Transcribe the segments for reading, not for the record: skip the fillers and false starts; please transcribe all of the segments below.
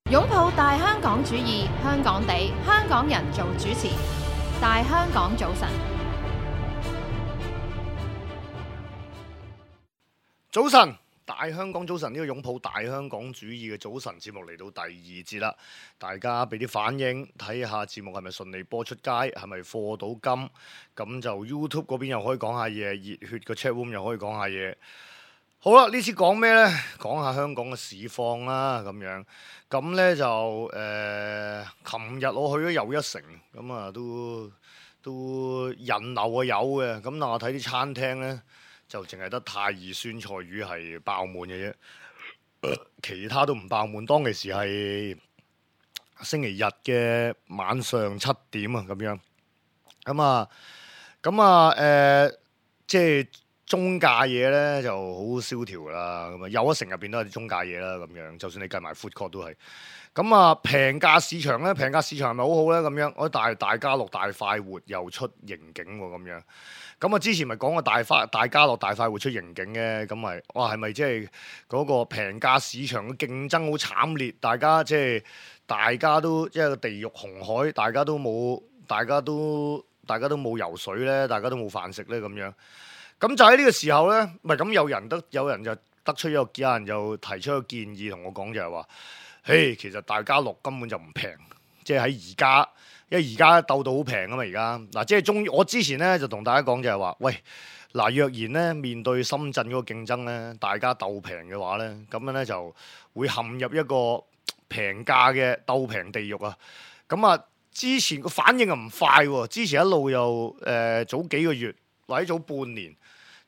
擁抱大香港主義，香港地，香港人做主持。大香港早晨，早晨，大香港早晨，呢個擁抱大香港主義嘅早晨節目嚟到第二節啦，大家俾啲反應，睇下節目係咪順利播出街，係咪課到金，咁就 YouTube 嗰邊又可以講下嘢，熱血嘅 chat room 又可以講下嘢。好啦，呢次講咩呢？講下香港嘅市況啦，咁樣。咁呢就琴日我去咗又一城，咁啊都人流啊有嘅，咁但我睇啲餐廳呢，就淨係得太二酸菜魚係爆滿嘅啫，其他都唔爆滿。當其時係星期日嘅晚上7點啊，咁樣。即係中價嘢咧就好蕭條啦，咁啊又一城入邊都係啲中價嘢啦，咁樣就算你計埋 food court 都係。咁啊平價市場咧，平價市場係咪好好咧？咁樣我大家樂大快活又出盈警喎，咁樣。咁啊之前咪講過大家樂大快活出盈警嘅，咁咪哇係咪即係嗰個平價市場嘅競爭好慘烈？大家都即係地獄紅海，大家都冇游水咧，大家都冇飯食咧，咁樣。咁就喺呢個時候咧，唔係咁有人就得出有人就提出一個建議同我講，就係話，嘿，其實大家樂根本就唔平，即係喺而家，因為而家鬥到好平啊嘛，而家嗱，即係我之前咧就同大家講就係話，喂，嗱，若然咧面對深圳嗰個競爭咧，大家鬥平嘅話咧，咁樣咧就會陷入一個平價嘅鬥平地獄啊！咁啊，之前個反應啊唔快喎，之前一路又早幾個月或者早半年。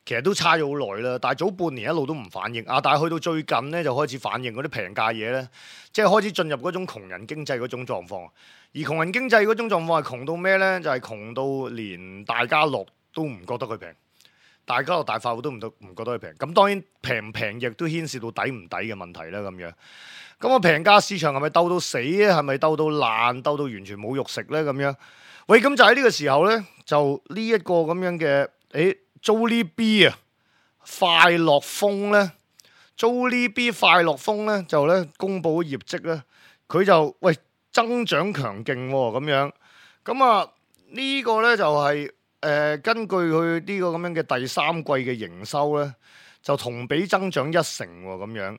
其實都差咗好耐啦，但係早半年一路都唔反應啊！但係去到最近咧就開始反應嗰啲平價嘢咧，即係開始進入嗰種窮人經濟嗰種狀況。而窮人經濟嗰種狀況係窮到咩咧？就係窮到連大家樂都唔覺得佢平，大家樂大快活都唔覺得佢平。咁當然平唔平亦都牽涉到抵唔抵嘅問題啦。咁樣咁啊，平價市場係咪鬥到死咧？係咪鬥到爛？鬥到完全冇肉食咧？咁樣喂，咁就喺呢個時候咧，就呢一個咁樣嘅Jollibee 啊，快樂風咧，Jollibee 快樂風咧就咧公佈咗業績咧，佢就喂增長強勁喎，咁樣，咁啊呢個咧就係根據佢呢個咁樣嘅第三季嘅營收咧，就同比增長1成喎，咁樣。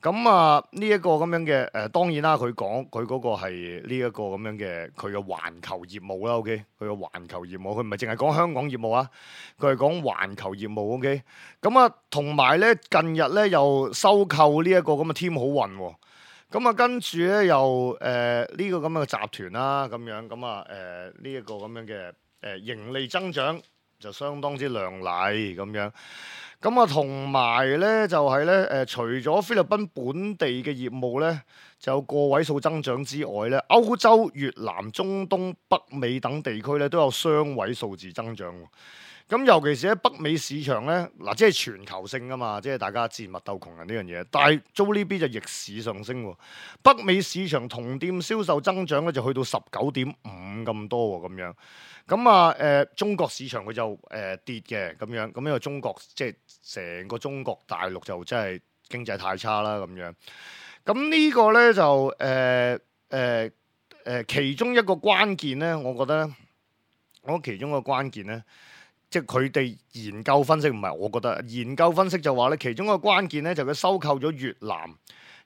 咁啊呢一個咁樣嘅當然啦，佢講佢嗰個係呢一個咁樣嘅佢嘅環球業務啦 ，OK， 佢嘅環球業務，佢唔係淨係講香港業務啊，佢係講環球業務 ，OK。咁啊同埋咧近日咧又收購呢一個咁嘅添好運喎，咁啊跟住咧又呢個咁嘅集團啦，咁樣咁啊呢一個咁樣嘅盈利增長就相當之亮麗咁樣。咁啊，同埋咧就係咧除咗菲律賓本地嘅業務咧，就有個位數增長之外咧，歐洲、越南、中東、北美等地區咧都有雙位數字增長。咁尤其是喺北美市場咧，嗱即係全球性噶嘛，即係大家賤物鬥窮人呢樣嘢。但係 Jollibee 就逆市上升喎，北美市場同店銷售增長咧就去到19.5咁多喎，咁樣。咁啊中國市場佢就跌嘅咁樣，咁因為中國即係成個中國大陸就真係經濟太差啦咁樣。咁呢個咧就其中一個關鍵咧，我覺得其中一個關鍵咧，即係佢哋研究分析，唔係我覺得研究分析就話咧，其中一個關鍵咧就佢收購咗越南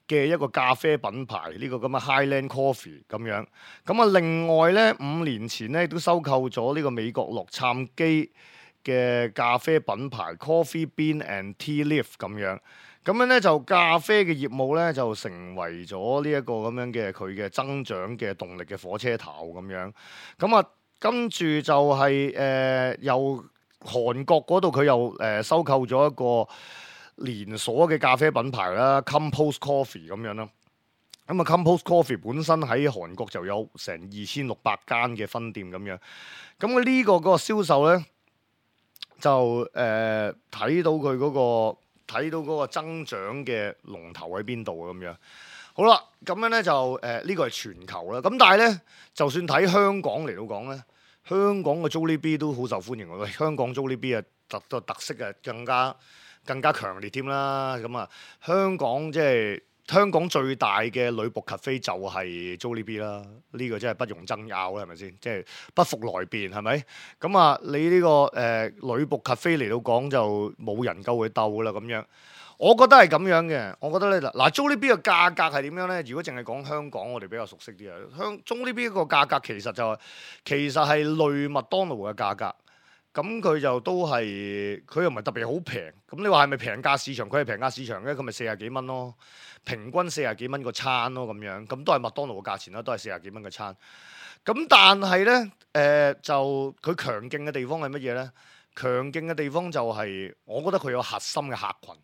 嘅一個咖啡品牌呢個咁嘅 Highland Coffee 咁樣，咁啊另外咧5年前咧都收購咗呢個美國洛杉磯嘅咖啡品牌 Coffee Bean and Tea Leaf 咁樣，咁樣咧就咖啡嘅業務咧就成為咗呢一個咁樣嘅佢嘅增長嘅動力嘅火車頭咁樣，咁啊跟住就係由韓國嗰度佢又收購咗一個連鎖嘅咖啡品牌啦 Compose Coffee 咁樣啦，咁啊 Compose Coffee 本身喺韓國就有成2600間嘅分店咁樣，咁佢呢個嗰個銷售咧就睇到佢嗰個增長嘅龍頭喺邊度咁樣。好啦，咁樣咧就呢個係全球啦，咁但係咧就算睇香港嚟到講咧，香港嘅 Jollibee 都好受歡迎喎，香港 Jollibee 啊特色啊更加強烈添啦，咁啊香港即係香港最大嘅女僕 cafe 就係 Jollibee 啦，呢個真係不容爭拗啦，係咪先？即係不服來辯，係咪？咁啊，你呢個女僕 cafe 嚟到講就冇人夠佢鬥啦咁樣。我覺得係咁樣嘅，我覺得咧嗱，Jollibee 嘅價格係點樣咧？如果淨係講香港，我哋比較熟悉啲啊。Jollibee 個價格其實係類麥當勞嘅價格，咁佢就都係佢又唔係特別好平。咁你話係咪平價市場？佢係平價市場嘅，佢咪40幾蚊咯，平均40幾蚊個餐咯咁樣，咁都係麥當勞嘅價錢啦，都係40幾蚊個餐。咁但係咧，就佢強勁嘅地方係乜嘢咧？強勁嘅地方就係、我覺得佢有核心嘅客群。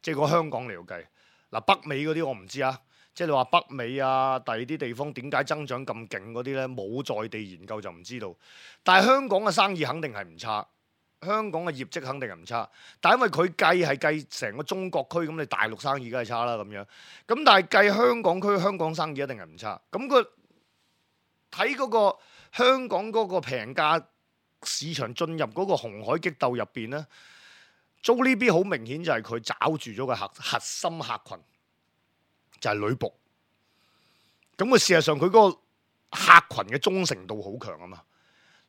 即係個香港嚟計，嗱北美嗰啲我唔知啊，即係你話北美啊，第二啲地方點解增長咁勁嗰啲咧，冇在地研究就唔知道。但係香港嘅生意肯定係唔差，香港嘅業績肯定係唔差。但係因為佢計成個中國區，咁你大陸生意梗係差啦咁樣。咁但係計香港區，香港生意一定係唔差。咁佢睇嗰個香港嗰個平價市場進入嗰個紅海激鬥入邊咧。Jollibee 好明顯就係佢抓住咗個核心客群，就係女僕。咁佢事實上佢嗰個客群嘅忠誠度好強啊嘛。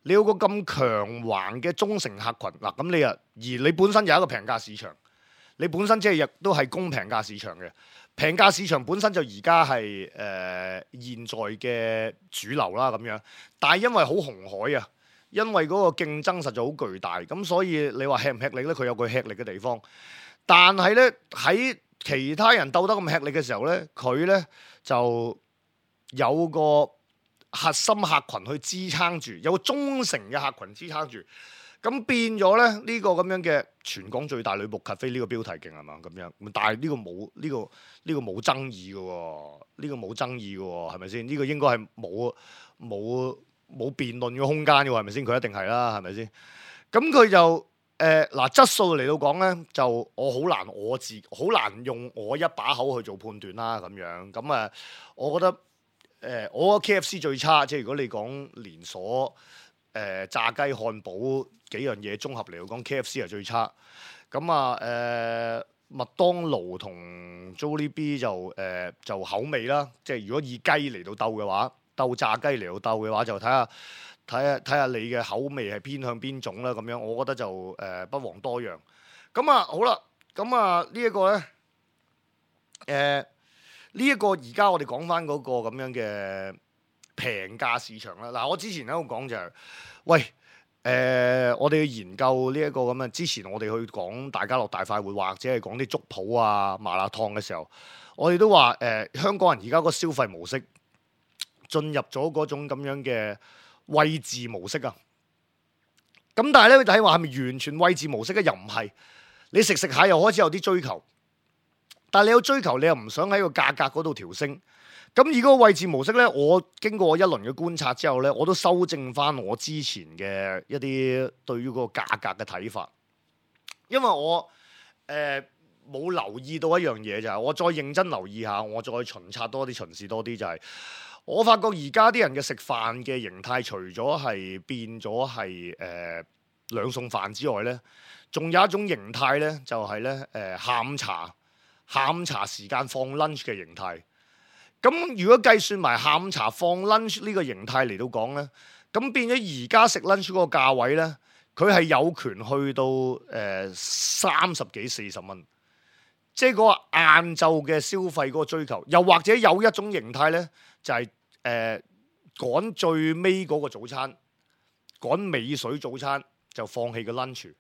你有個咁強橫嘅忠誠客群嗱，咁你而你本身有一個平價市場，你本身即係亦都係供平價市場嘅。平價市場本身就而家係現在嘅主流啦咁樣，但係因為好紅海啊。因為嗰個競爭實在好巨大，咁所以你話吃唔吃力咧？佢有佢吃力嘅地方，但係咧喺其他人鬥得咁吃力嘅時候咧，佢咧就有個核心客群去支撐住，有個忠誠嘅客群支撐住，咁變咗咧呢個咁樣嘅全港最大女僕 cafe 呢個標題勁係嘛咁樣？但係呢個冇冇爭議嘅喎，呢個冇爭議嘅喎，係咪先？呢個應該係冇辯論嘅空間嘅喎，係咪先？佢一定係啦，係咪先？咁佢就嗱質素嚟到講咧，就我好難用我一把口去做判斷啦咁樣。咁我覺得我覺得 KFC 最差，即係如果你講連鎖炸雞漢堡幾樣嘢綜合嚟到講，KFC 係最差。咁麥當勞同 Jollibee 就口味啦，即係如果以雞嚟到鬥嘅話。鬥炸雞嚟到鬥嘅話，就睇下你嘅口味係偏向邊種啦。咁樣，我覺得就不遑多讓。咁好啦，咁呢一個咧，呢一個而家我哋講翻嗰個咁樣嘅平價市場啦。嗱，我之前喺度講就係，喂，我哋去研究呢一個咁樣。之前我哋去講大家樂大快活或者係講啲粥鋪啊、麻辣燙嘅時候，我哋都話香港人而家個消費模式。進入咗嗰種咁樣嘅位置模式啊，咁但係咧，睇話係咪完全位置模式咧？又唔係，你食下又開始有啲追求，但係你有追求，你又唔想喺個價格嗰度調升。咁而嗰個位置模式咧，我經過一輪嘅觀察之後咧，我都修正翻我之前嘅一啲對於嗰個價格嘅睇法，因為我冇留意到一樣嘢就係，我再認真留意下，我再巡視多啲就係。我發覺而家啲人嘅食飯嘅形態，除咗係變咗係兩餸飯之外咧，仲有一種形態咧，就係咧下午茶時間放 lunch 嘅形態。咁如果計算埋下午茶放 lunch 呢個形態嚟到講咧，咁變咗而家食 lunch 嗰個價位咧，佢係有權去到30幾40蚊，即係嗰個晏晝嘅消費嗰個追求。又或者有一種形態咧，就係趕最尾嗰個早餐，趕尾水早餐就放棄個 lunch。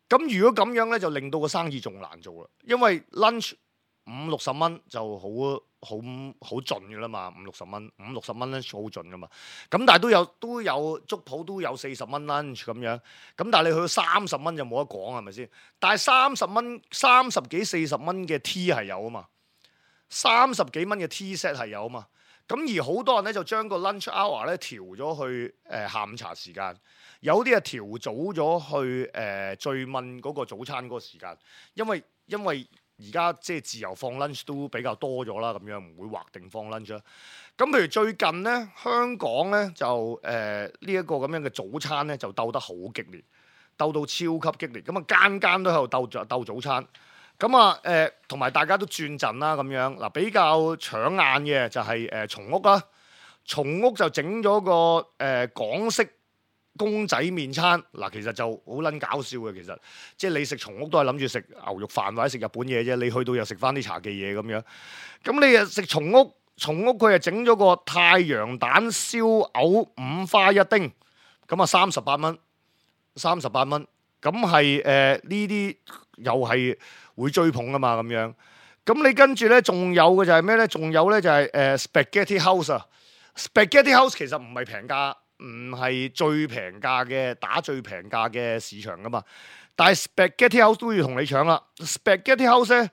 咁如果咁樣咧，就令到個生意仲難做啦，因為 lunch 50-60蚊就好盡嘅啦嘛，50-60蚊，50-60蚊 lunch 好盡噶嘛。咁但係都有粥鋪都有40蚊 lunch 咁樣，咁但係你去到30蚊就冇得講，係咪先？但係30幾40蚊嘅 tea 係有啊嘛，30幾蚊嘅 tea set 係有啊嘛。咁而好多人咧就將個 lunch hour 咧調咗去下午茶時間，有啲係調早咗去最問嗰個早餐嗰個時間，因為而家即係自由放 lunch 都比較多咗啦，咁樣唔會劃定放 lunch 啦。咁譬如最近咧，香港咧就呢一個咁樣嘅早餐咧就鬥得好激烈，鬥到超級激烈，咁間間都喺度鬥早餐。咁啊同埋大家都轉陣啦咁樣。嗱，比較搶眼嘅就係松屋啦。松屋就整咗個港式公仔麵餐。嗱，其實就好撚搞笑嘅。其實即係你食松屋都係諗住食牛肉飯或者食日本嘢啫。你去到又食翻啲茶記嘢咁樣。咁你又食松屋佢係整咗個太陽蛋燒藕五花一丁，咁啊38蚊，38蚊。咁係呢啲又係會追捧噶嘛咁樣。咁你跟住咧，仲有嘅就係咩咧？仲有咧就係Spaghetti House 啊。Spaghetti House 其實唔係平價，唔係最平價嘅，打最平價嘅市場噶嘛。但係 Spaghetti House 都要同你搶啦。Spaghetti House 咧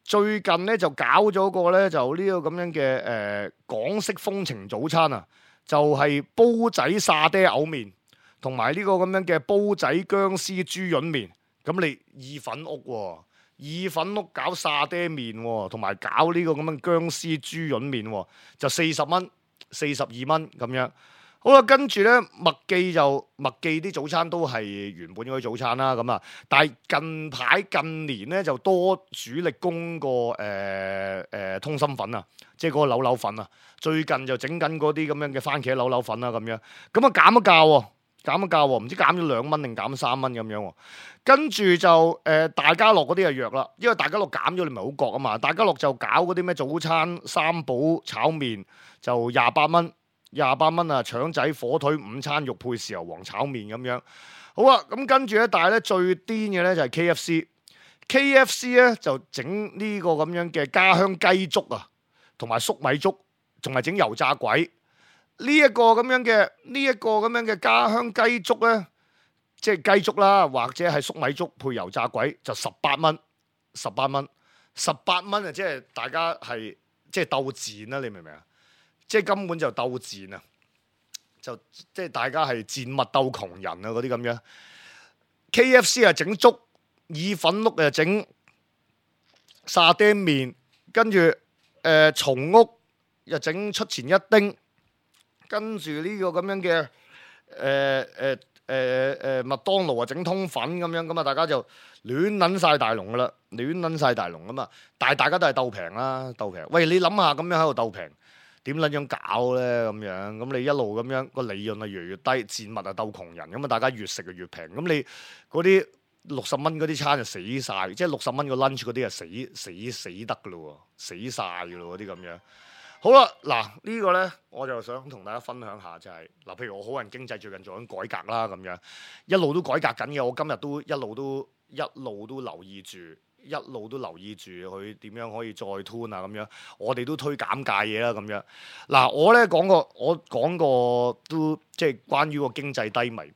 最近咧就搞咗個咧就呢個咁樣嘅港式風情早餐啊，就係煲仔沙爹牛麵。同埋呢個咁樣嘅煲仔薑絲豬潤麵，咁你意粉屋喎，意粉屋搞沙爹麵喎，同埋搞呢個咁樣薑絲豬潤麵喎，就40蚊、42蚊咁樣。好啦，跟住咧麥記啲早餐都係原本嗰啲早餐啦，咁啊，但係近年咧就多主力供個通心粉啊，即係嗰個扭粉啊。最近就整緊嗰啲咁樣嘅番茄扭粉啦，咁樣咁啊減咗價喎。唔知減咗2蚊定減3蚊咁樣喎。跟住就大家樂嗰啲就弱啦，因為大家樂減咗你咪好覺啊嘛。大家樂就搞嗰啲咩早餐三寶炒麵就28蚊啊，腸仔火腿午餐肉配豉油皇炒麵咁樣。好啊，咁跟住咧，但係咧最癲嘅咧就係 KFC 咧就整呢個咁樣嘅家鄉雞粥啊，同埋粟米粥，仲係整油炸鬼。呢一個咁樣嘅家鄉雞粥咧，即係雞粥啦，或者係粟米粥配油炸鬼，就18蚊啊！即係大家係即係鬥賤啦，你明唔明啊？即係根本就鬥賤啊！就即係大家係賤物鬥窮人啊！嗰啲咁樣 ，KFC 啊整粥，意粉屋啊整沙爹麵，跟住松屋又整出前一丁。跟住呢個咁樣嘅麥當勞啊整通粉咁樣，咁啊大家就亂撚晒大龍噶啦，咁啊！但係大家都係鬥平啦，鬥平。喂，你諗下咁樣喺度鬥平，點撚樣搞咧？咁樣咁你一路咁樣個利潤啊越嚟越低，賤物啊鬥窮人，咁啊大家越食就越平。咁你嗰啲60蚊嗰啲餐就死晒，即係60蚊個 lunch 嗰啲啊死得噶咯喎，死晒噶咯嗰啲咁樣。好啦，嗱呢個呢，我就想同大家分享下，就係嗱，譬如我好人經濟最近做緊改革啦，咁樣一路都改革緊嘅，我今日都一路都留意住佢點樣可以再 tune 啊，咁樣我哋都推減價嘢啦，咁樣嗱，我講過都即係關於個經濟低迷。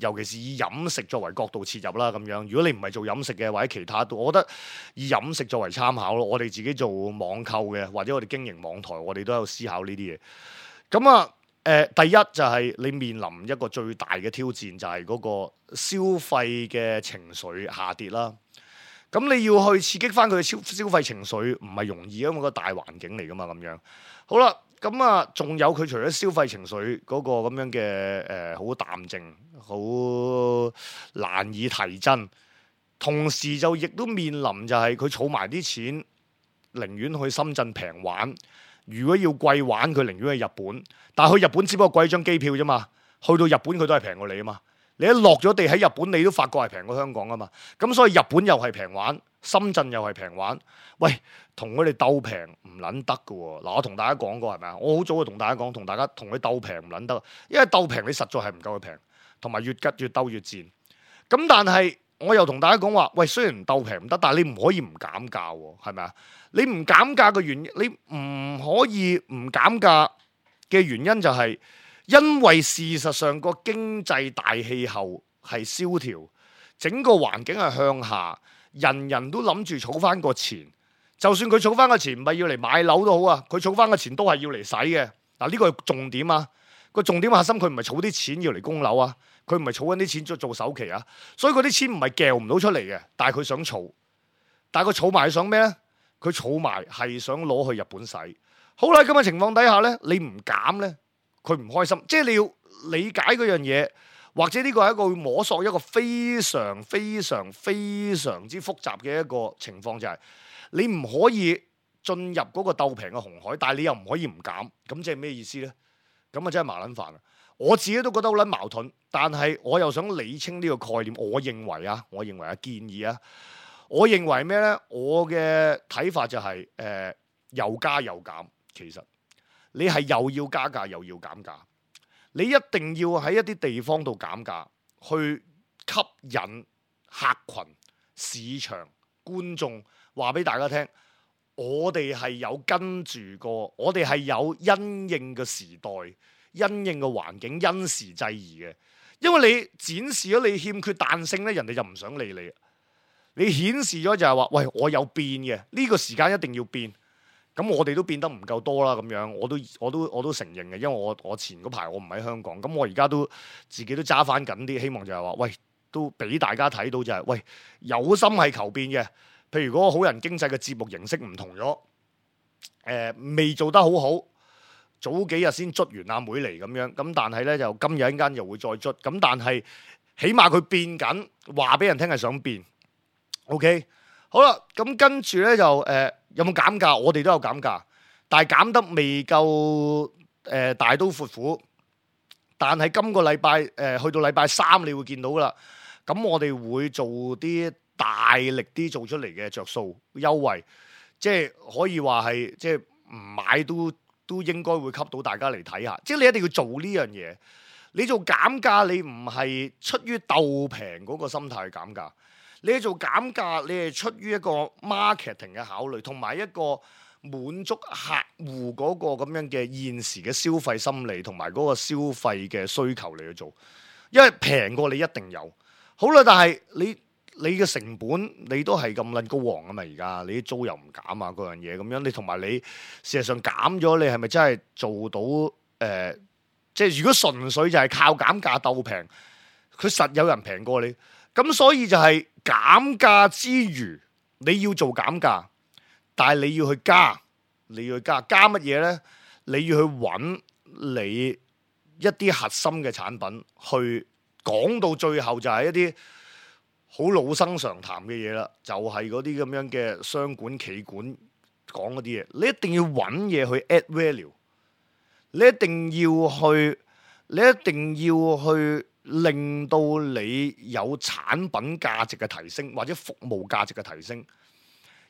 尤其是以飲食作為角度切入啦，咁樣如果你唔係做飲食嘅或者其他都，我覺得以飲食作為參考咯。我哋自己做網購嘅或者我哋經營網台，我哋都有思考呢啲嘢。咁啊，第一就係你面臨一個最大嘅挑戰，就係嗰個消費嘅情緒下跌啦。咁你要去刺激翻佢嘅消費情緒，唔係容易，因為個大環境嚟噶嘛，咁樣。好啦。咁啊，仲有佢除咗消費情緒嗰個咁樣嘅好淡靜，好難以提振，同時就亦都面臨就係佢儲埋啲錢，寧願去深圳平玩。如果要貴玩，佢寧願去日本。但係去日本只不過貴張機票啫嘛，去到日本佢都係平過你啊嘛。你一落咗地喺日本，你都發覺係平過香港啊嘛。咁所以日本又係平玩，深圳又係平玩。喂，同佢哋鬥平唔撚得㗎喎。嗱，我同大家講過係咪啊？我好早就同大家講，同佢鬥平唔撚得，因為鬥平你實在係唔夠佢平，同埋越鬥越賤。咁但係我又同大家講話，喂，雖然鬥平唔得，但係你唔可以唔減價喎，係咪啊？你唔減價嘅原因，你唔可以唔減價嘅原因就係因為事實上個經濟大氣候係蕭條，整個環境係向下，人人都諗住儲翻個錢。就算佢儲翻個錢唔係要嚟買樓都好啊，佢儲翻個錢都係要嚟使嘅。嗱，呢個係重點啊！個重點核心佢唔係儲啲錢要嚟供樓啊，佢唔係儲緊啲錢做首期啊，所以嗰啲錢唔係撬唔到出嚟嘅，但係佢想儲，但係佢儲埋想咩咧？佢儲埋係想攞去日本使。好啦，咁嘅情況底下咧，你唔減咧，佢唔開心。即係你要理解嗰樣嘢。或者呢個係一個會摸索一個非常非常非常之複雜嘅一個情況，就係你唔可以進入嗰個鬥平嘅紅海，但係你又唔可以唔減，咁即係咩意思呢？咁啊真係麻撚煩啊！我自己都覺得好撚矛盾，但係我又想理清呢個概念。我認為建議啊，我認為咩呢？我嘅睇法就係又加又減。其實你係又要加價又要減價，你一定要喺一啲地方度減價，去吸引客群、市場、觀眾，話俾大家聽，我哋係有跟住過，我哋係有因應嘅時代、因應嘅環境，因時制宜嘅。因為你展示咗你欠缺彈性咧，人哋就唔想理你。你顯示咗就係話，喂，我有變嘅，呢個時間一定要變。咁我哋都變得唔夠多啦，咁樣我都承認嘅，因為我前嗰排我唔喺香港，咁我而家都自己都揸翻緊啲，希望就係話，喂，都俾大家睇到就係，喂，有心係求變嘅。譬如嗰個好人經濟嘅節目形式唔同咗，未做得好好，早幾日先捽完阿妹嚟咁樣，咁但係咧就今日一間又會再捽，咁但係起碼佢變緊，話俾人聽係想變。OK， 好啦，咁跟住咧就有冇減價？我哋都有減價，但係減得未夠大刀闊斧。但係今個禮拜去到禮拜三，你會見到噶啦。咁我哋會做啲大力啲做出嚟嘅着數優惠，即係可以話係即係唔買都應該會吸到大家嚟睇下。即係你一定要做呢樣嘢。你做減價，你唔係出於鬥平嗰個心態去減價。你做減價，你係出於一個 marketing 嘅考慮，同埋一個滿足客戶嗰個咁樣嘅現時嘅消費心理，同埋嗰個消費嘅需求嚟去做。因為平過你一定有。好啦，但係你嘅成本你都係咁撚高昂啊嘛！而家你啲租又唔減啊，嗰樣嘢咁樣，你同埋你事實上減咗，你係咪真係做到即係如果純粹就係靠減價鬥平，佢實有人平過你。咁所以就係減價之餘，你要做減價，但係你要去加加乜嘢呢？你要去揾你一啲核心嘅產品，去講到最後就係一啲好老生常談嘅嘢啦，就係嗰啲咁樣嘅商管企管講嗰啲嘢，你一定要揾嘢去 add value， 你一定要去令到你有產品價值嘅提升，或者服務價值嘅提升，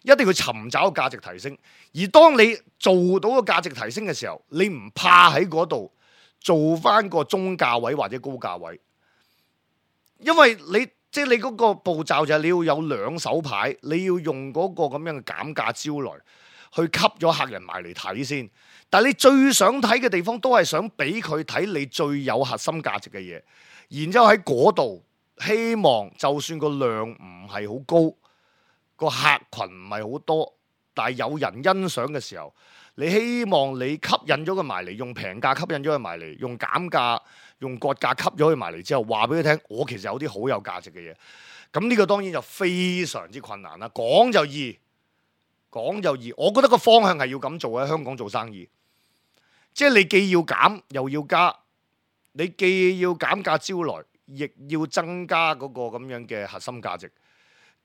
一定要尋找價值提升。而當你做到個價值提升嘅時候，你唔怕喺嗰度做翻個中價位或者高價位，因為你即係你嗰個步驟就係你要有兩手牌，你要用嗰個咁樣嘅減價招來去吸咗客人埋嚟睇先。但係你最想睇嘅地方都係想俾佢睇你最有核心價值嘅嘢。然之後喺嗰度，希望就算個量唔係好高，個客群唔係好多，但係有人欣賞嘅時候，你希望你吸引咗佢埋嚟，用平價吸引咗佢埋嚟，用減價、用割價吸咗佢埋嚟之後，話俾佢聽，我其實有啲好有價值嘅嘢。咁呢個當然就非常之困難啦。講就易，我覺得個方向係要咁做喺香港做生意，即係你既要減又要加。你既要減價招來，亦要增加嗰個咁樣嘅核心價值，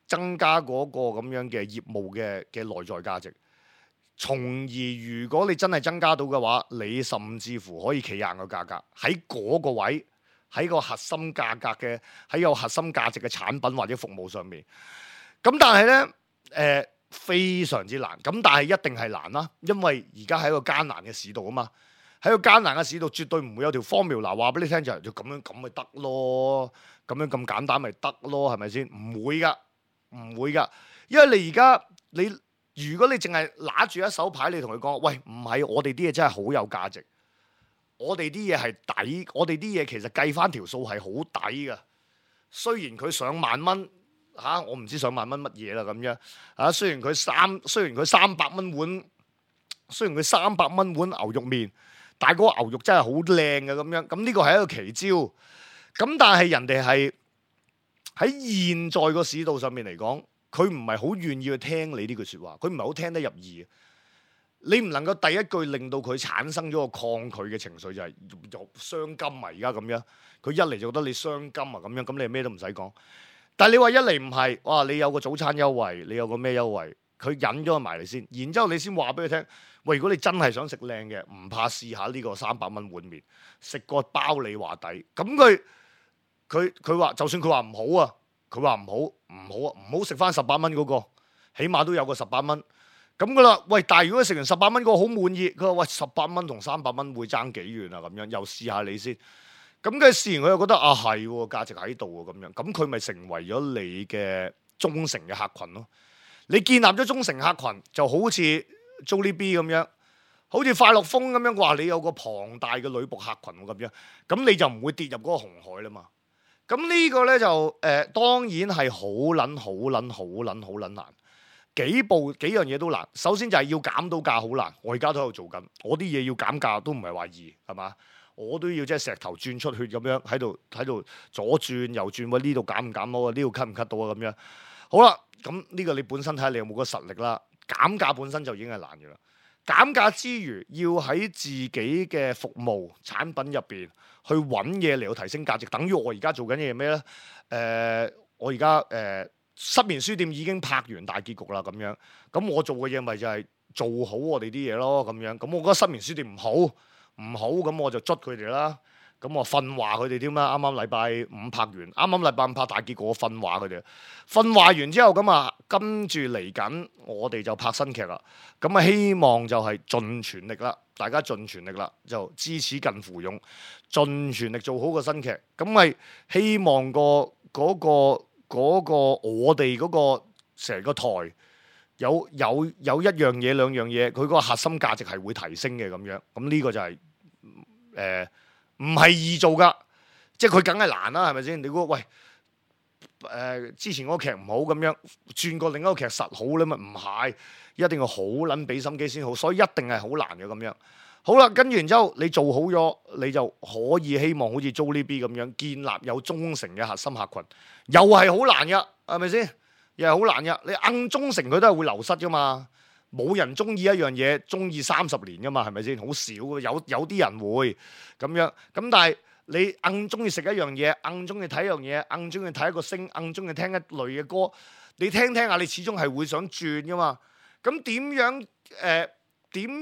增加嗰個咁樣嘅業務嘅內在價值。從而如果你真係增加到嘅話，你甚至乎可以企硬個價格喺嗰個位，喺個核心價格嘅，喺有核心價值嘅產品或者服務上面。咁但係呢，非常之難。咁但係一定係難啦，因為而家係一個艱難嘅市道啊嘛。喺個艱難嘅市道，絕對唔會有條 formula 話俾你聽就係咁樣咁咪得咯，咁樣咁簡單咪得咯，係咪先？唔會噶，因為你而家如果你淨係拿住一手牌，你同佢講，喂，唔係，我哋啲嘢真係好有價值，我哋啲嘢係抵，我哋啲嘢其實計翻條數係好抵噶。雖然佢上萬蚊嚇，我唔知上萬蚊乜嘢啦咁樣嚇。雖然佢300蚊碗，雖然佢300蚊碗牛肉麵。但係嗰個牛肉真係好靚嘅咁樣，咁呢個係一個奇招。咁但係人哋係喺現在個市道上面嚟講，佢唔係好願意去聽你呢句説話，佢唔係好聽得入耳。你唔能夠第一句令到佢產生咗個抗拒嘅情緒，就係傷金啊！而家咁樣，佢一嚟就覺得你傷金啊咁樣，咁你咩都唔使講。但係你話一嚟唔係，哇！你有個早餐優惠，你有個咩優惠？佢引咗埋嚟先，然之後你先話俾佢聽，喂！如果你真係想食靚嘅，唔怕試下呢個300蚊碗麵，食個包你話抵。咁佢話，就算佢話唔好啊，佢話唔好食翻18蚊嗰個，起碼都有個18蚊。咁噶啦，喂！但係如果食完18蚊嗰個好滿意，佢話喂18蚊同300蚊會爭幾遠啊？咁樣又試下你先，咁嘅試完佢又覺得啊係喎，價值喺度喎咁樣，咁佢咪成為咗你嘅忠誠嘅客群咯。你建立咗忠誠客群，就好似 Jollibee 咁樣，好似快樂風咁樣，話你有個龐大嘅女僕客群咁樣，咁你就唔會跌入嗰個紅海啦嘛。咁呢個咧就當然係好撚難。幾樣嘢都難，首先就係要減到價好難，我而家都喺度做緊，我啲嘢要減價都唔係話易，係嘛？我都要即係石頭轉出血咁樣喺度左轉右轉，喂呢度減唔減到啊？呢度 cut 唔 cut 到啊？咁樣好啦，咁呢個你本身睇下你有冇個實力啦。減價本身就已經係難嘅啦，減價之餘要喺自己嘅服務產品入邊去揾嘢嚟到提升價值，等於我而家做緊嘢咩咧？我而家失眠書店已經拍完大結局啦，咁樣，咁我做嘅嘢咪就係做好我哋啲嘢咯，咁樣，咁我覺得失眠書店唔好，咁我就捽佢哋啦，咁我訓話佢哋添啦，啱啱禮拜五拍完，啱啱禮拜五拍大結局，我訓話佢哋，訓話完之後咁啊，跟住嚟緊我哋就拍新劇啦，咁啊希望就係盡全力啦，大家盡全力啦，就知恥近乎勇，盡全力做好個新劇，咁咪希望嗰個我哋嗰個成個台有一樣嘢兩樣嘢，佢嗰個核心價值係會提升嘅咁樣，咁呢個就係唔係易做噶，即係佢梗係難啦，係咪先？你估喂之前嗰個劇唔好咁樣，轉過另一個劇實好咧嘛？唔係，一定要好撚俾心機先好，所以一定係好難嘅咁樣。好啦，跟住然之後你做好咗，你就可以希望好似 Jollibee 咁樣建立有忠誠嘅核心客群，又係好難噶，係咪先？又係好難噶，你硬忠誠佢都係會流失噶嘛，冇人中意一樣嘢中意30年噶嘛，係咪先？好少嘅，有啲人會咁樣，咁但係你硬中意食一樣嘢，硬中意睇一樣嘢，硬中意睇一個星，硬中意聽一類嘅歌，你聽下，你始終係會想轉噶嘛。咁點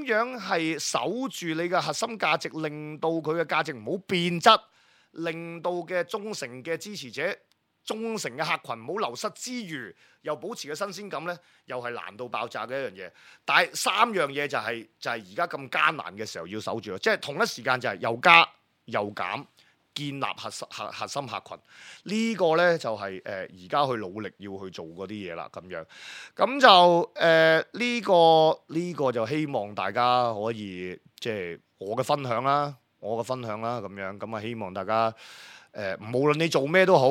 樣係守住你嘅核心價值，令到佢嘅價值唔好變質，令到嘅忠誠嘅支持者、忠誠嘅客群唔好流失之餘，又保持嘅新鮮感呢，又係難到爆炸嘅一樣嘢。但係3樣嘢就係而家咁艱難嘅時候要守住咯，即係同一時間就係又加又減，建立核心客群，呢個呢，就係而家去努力要去做嗰啲嘢啦，咁樣，咁就呢個就希望大家可以即係我嘅分享啦，咁樣，咁啊希望大家無論你做咩都好，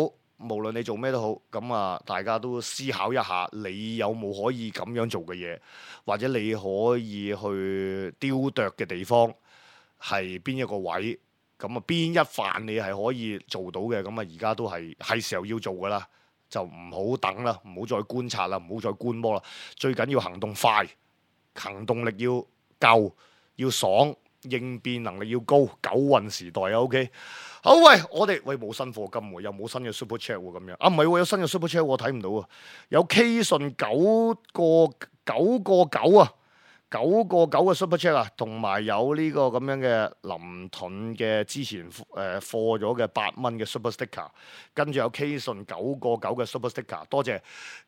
咁啊大家都思考一下，你有冇可以咁樣做嘅嘢，或者你可以去雕琢嘅地方係邊一個位？咁啊，邊一範你係可以做到嘅？咁啊，而家都係時候要做噶啦，就唔好等啦，唔好再觀察啦，唔好再觀摩啦。最緊要行動快，行動力要夠，要爽，應變能力要高。九運時代啊 ，OK。好喂，我哋冇新課金喎，又冇新嘅 Super Chat 喎，咁樣啊，唔係喎，有新嘅 Super Chat 我睇唔到啊，有 K 信9個9啊。9個9嘅 Super Chat 啊，同埋有呢個咁樣嘅林盾嘅之前貨咗嘅8蚊嘅 Super Sticker， 跟住有 K 信9個9嘅 Super Sticker， 多謝。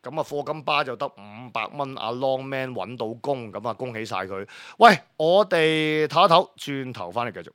咁啊，課金巴就得500蚊，阿 Long Man 揾到工，咁啊恭喜晒佢。喂，我哋唞一唞，轉頭翻嚟繼續。